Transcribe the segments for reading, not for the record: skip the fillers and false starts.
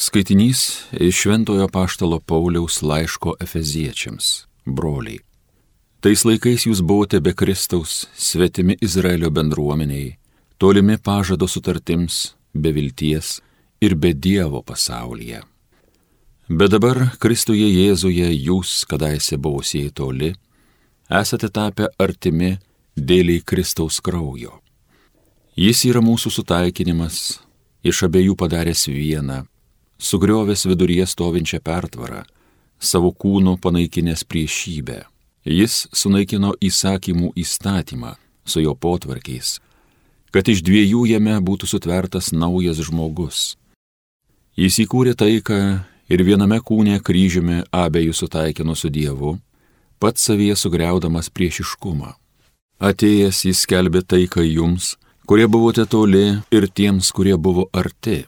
Skaitinys iš Šventojo apaštalo Pauliaus laiško Efeziečiams, broliai. Tais laikais jūs buvote be Kristaus, svetimi Izraelio bendruomeniai, tolimi pažado sutartims, be vilties ir be Dievo pasaulyje. Bet dabar Kristuje Jėzuje jūs, kadaise buvusieji toli, esate tapę artimi dėliai Kristaus kraujo. Jis yra mūsų sutaikinimas, iš abiejų padaręs vieną, sugriovęs viduryje stovinčią pertvarą, savo kūnu panaikinęs priešybę. Jis sunaikino įsakymų įstatymą su jo potvarkiais, kad iš dviejų jame būtų sutvertas naujas žmogus. Jis įkūrė taiką ir viename kūne kryžiumi abejų sutaikino su Dievu, pats savyje sugriaudamas priešiškumą. Atėjęs jis skelbė taiką jums, kurie buvote toli, ir tiems, kurie buvo arti.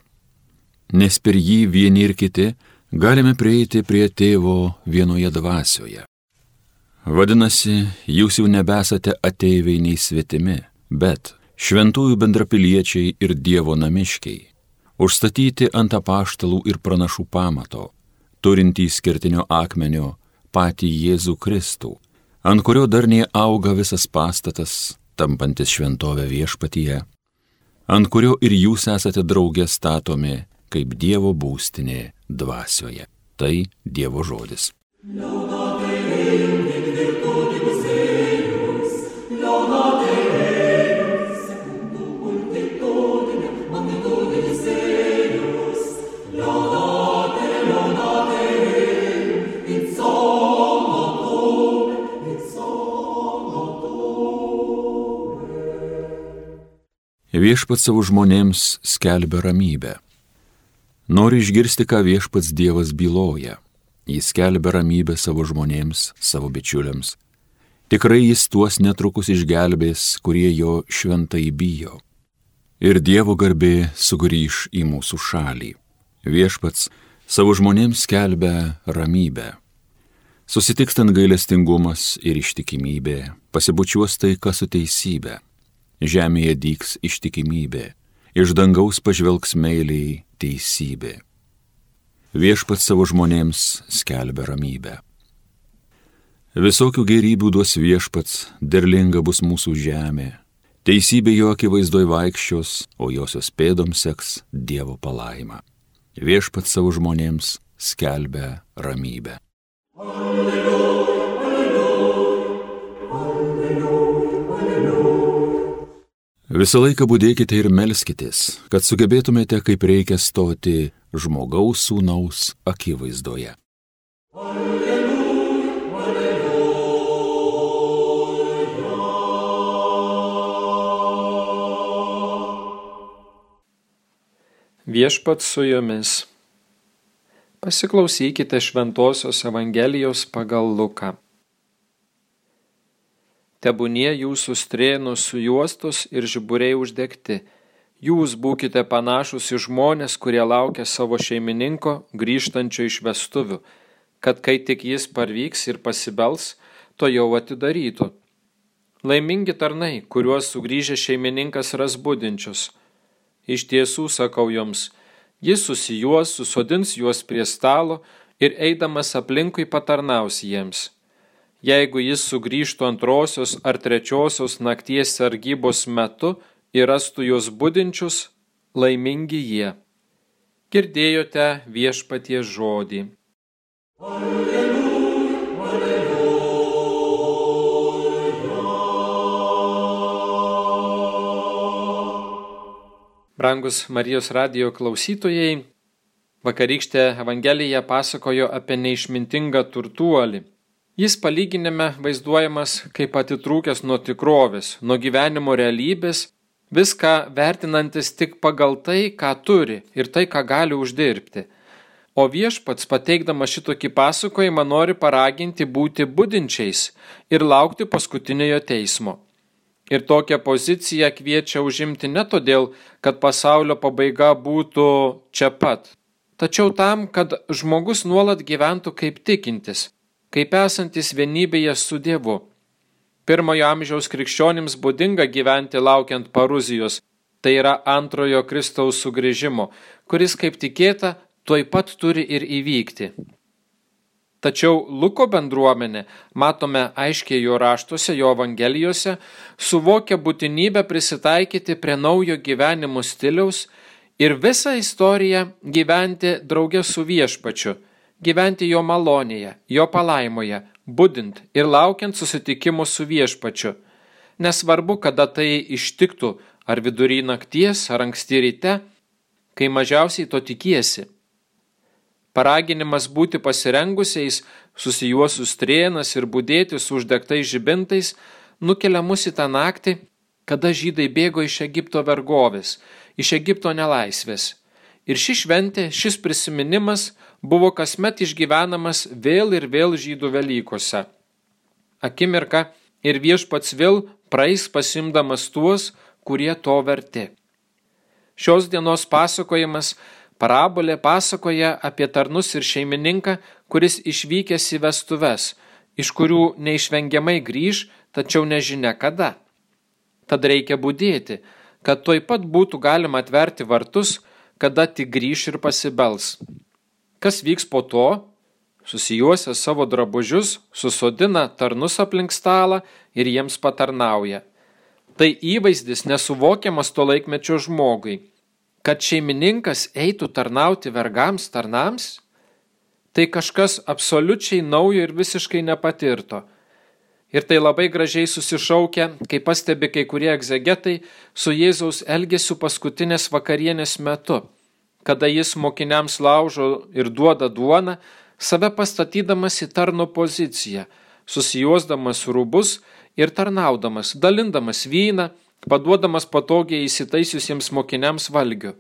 Nes per jį vieni ir kiti galime prieiti prie Tėvo vienoje dvasioje. Vadinasi, jūs jau nebesate ateiviai nei svetimi, bet šventųjų bendrapiliečiai ir Dievo namiškiai, užstatyti ant apaštalų ir pranašų pamato, turintys kertinio akmenio patį Jėzų Kristų, ant kurio darniai auga visas pastatas, tampantis šventovę viešpatyje, ant kurio ir jūs esate drauge statomi kaip Dievo būstinė dvasioje. Tai Dievo žodis. Viešpats savo žmonėms skelbia ramybę. Nori išgirsti, ką viešpats Dievas byloja. Jis skelbia ramybę savo žmonėms, savo bičiuliams. Tikrai jis tuos netrukus išgelbės, kurie jo šventai bijo. Ir Dievo garbė sugrįš į mūsų šalį. Viešpats savo žmonėms skelbia ramybę. Susitikstant gailestingumas ir ištikimybė, pasibučiuos taika su teisybė. Žemėje dygs ištikimybė, iš dangaus pažvelgs meiliai teisybė. Viešpats savo žmonėms skelbia ramybę. Visokių gėrybių duos viešpats, derlinga bus mūsų žemė. Teisybė jo akivaizdoj vaikščios, o josios pėdoms seks Dievo palaima. Viešpats savo žmonėms skelbia ramybę. Visą laiką budėkite ir melskitės, kad sugebėtumėte kaip reikia stoti žmogaus sūnaus akivaizdoje. Alleluja, alleluja. Viešpats su jumis. Pasiklausykite Šventosios Evangelijos pagal Luką. Tebūnie jūsų strėnos sujuostos ir žiburiai uždegti. Jūs būkite panašus į žmonės, kurie laukia savo šeimininko grįžtančio iš vestuvių, kad kai tik jis parvyks ir pasibels, to jau atidarytų. Laimingi tarnai, kuriuos sugrįžę šeimininkas ras budinčius. Iš tiesų sakau jums, jis susijuos, susodins juos prie stalo ir eidamas aplinkui patarnaus jiems. Jeigu jis sugrįžtų antrosios ar trečiosios nakties sargybos metu ir rastų juos budinčius, laimingi jie. Girdėjote viešpaties žodį. Alleluja, alleluja. Brangus Marijos radijo klausytojai, vakarykštė Evangelija pasakojo apie neišmintingą turtuolį. Jis palyginime vaizduojamas kaip atitrūkęs nuo tikrovės, nuo gyvenimo realybės, viską vertinantis tik pagal tai, ką turi ir tai, ką gali uždirbti. O viešpats, pateikdamas šitokį pasakojimą, nori paraginti būti budinčiais ir laukti paskutiniojo teismo. Ir tokią poziciją kviečia užimti ne todėl, kad pasaulio pabaiga būtų čia pat, tačiau tam, kad žmogus nuolat gyventų kaip tikintis, kaip esantis vienybėje su Dievu. Pirmojo amžiaus krikščionims būdinga gyventi laukiant paruzijos, tai yra antrojo Kristaus sugrįžimo, kuris, kaip tikėta, tuoj pat turi ir įvykti. Tačiau Luko bendruomenė, matome aiškiai jo raštuose, jo evangelijose, suvokia būtinybę prisitaikyti prie naujo gyvenimo stiliaus ir visą istoriją gyventi drauge su Viešpačiu, gyventi jo malonėje, jo palaimoje, budint ir laukiant susitikimo su Viešpačiu. Nesvarbu, kada tai ištiktų, ar vidury nakties, ar anksti ryte, kai mažiausiai to tikiesi. Paraginimas būti pasirengusiais, susijuosus strėnas ir budėti su uždegtais žibintais nukelia mus į tą naktį, kada žydai bėgo iš Egipto vergovės, iš Egipto nelaisvės. Ir ši šventė, šis prisiminimas buvo kasmet išgyvenamas vėl ir vėl žydų Velykose. Akimirka ir Viešpats vėl praeis pasimdamas tuos, kurie to verti. Šios dienos pasakojimas parabolė pasakoja apie tarnus ir šeimininką, kuris išvykęs į vestuves, iš kurių neišvengiamai grįž, tačiau nežinia kada. Tad reikia budėti, kad tuoj pat būtų galima atverti vartus, kada tik grįž ir pasibels. Kas vyks po to? Susijuosę savo drabužius, susodina tarnus aplink stalą ir jiems patarnauja. Tai įvaizdis nesuvokiamas to laikmečio žmogui. Kad šeimininkas eitų tarnauti vergams tarnams, tai kažkas absoliučiai naujo ir visiškai nepatirto. Ir tai labai gražiai susišaukia, kaip pastebi kai kurie egzegetai, su Jėzaus elgesiu paskutinės vakarienės metu, kada jis mokiniams laužo ir duoda duoną, save pastatydamas į tarno poziciją, susijuosdamas rūbus ir tarnaudamas, dalindamas vyną, paduodamas patogiai įsitaisiusiems mokiniams valgių.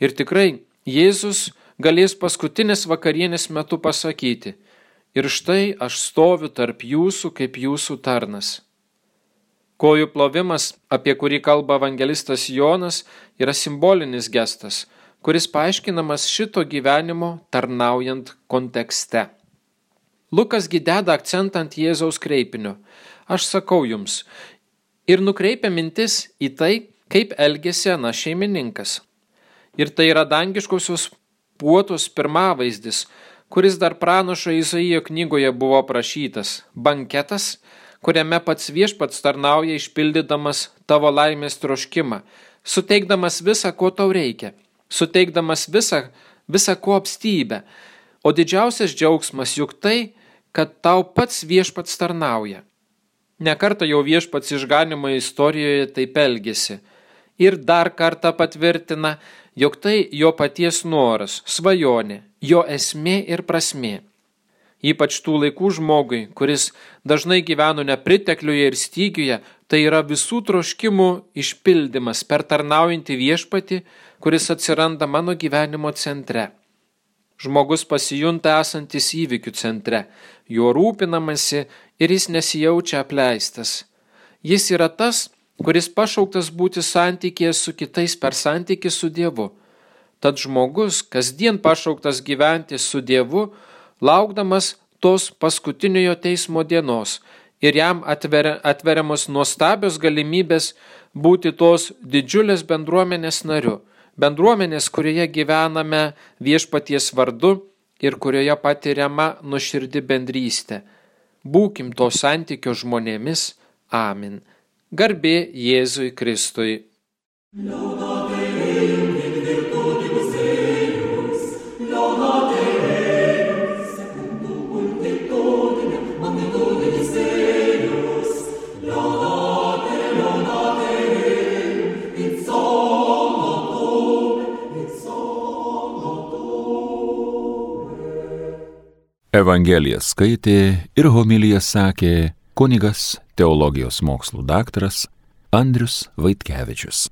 Ir tikrai Jėzus galės paskutinės vakarienės metu pasakyti: ir štai aš stoviu tarp jūsų kaip jūsų tarnas. Kojų plovimas, apie kurį kalba evangelistas Jonas, yra simbolinis gestas, kuris paaiškinamas šito gyvenimo tarnaujant kontekste. Lukas gi deda akcentą ant Jėzaus kreipinio: aš sakau jums, ir nukreipia mintis į tai, kaip elgėsi anas šeimininkas. Ir tai yra dangiškosios puotos pirmavaizdis, kuris dar pranašo Izaijo knygoje buvo aprašytas, banketas, kuriame pats Viešpats tarnauja išpildydamas tavo laimės troškimą, suteikdamas visą, ko tau reikia, suteikdamas visą ko apstybę. O didžiausias džiaugsmas juk tai, kad tau pats Viešpats tarnauja. Nekartą jau Viešpats išganymo istorijoje taip elgėsi ir dar kartą patvirtina, jog tai jo paties noras, svajonė, jo esmė ir prasmė. Ypač tų laikų žmogui, kuris dažnai gyveno nepritekliuje ir stygiuje, tai yra visų troškimų išpildymas per tarnaujantį Viešpatį, kuris atsiranda mano gyvenimo centre. Žmogus pasijunta esantis įvykių centre, juo rūpinamasi ir jis nesijaučia apleistas. Jis yra tas, kuris pašauktas būti santykėje su kitais per santykį su Dievu. Tad žmogus kasdien pašauktas gyventi su Dievu, laukdamas tos paskutiniojo teismo dienos ir jam atveriamos nuostabios galimybės būti tos didžiulės bendruomenės nariu. Bendruomenės, kurioje gyvename Viešpaties vardu ir kurioje patiriama nuoširdi bendrystė. Būkim to santykio žmonėmis. Amen. Garbė Jėzui Kristui. Evangeliją skaitė ir homiliją sakė kunigas, teologijos mokslų daktaras Andrius Vaitkevičius.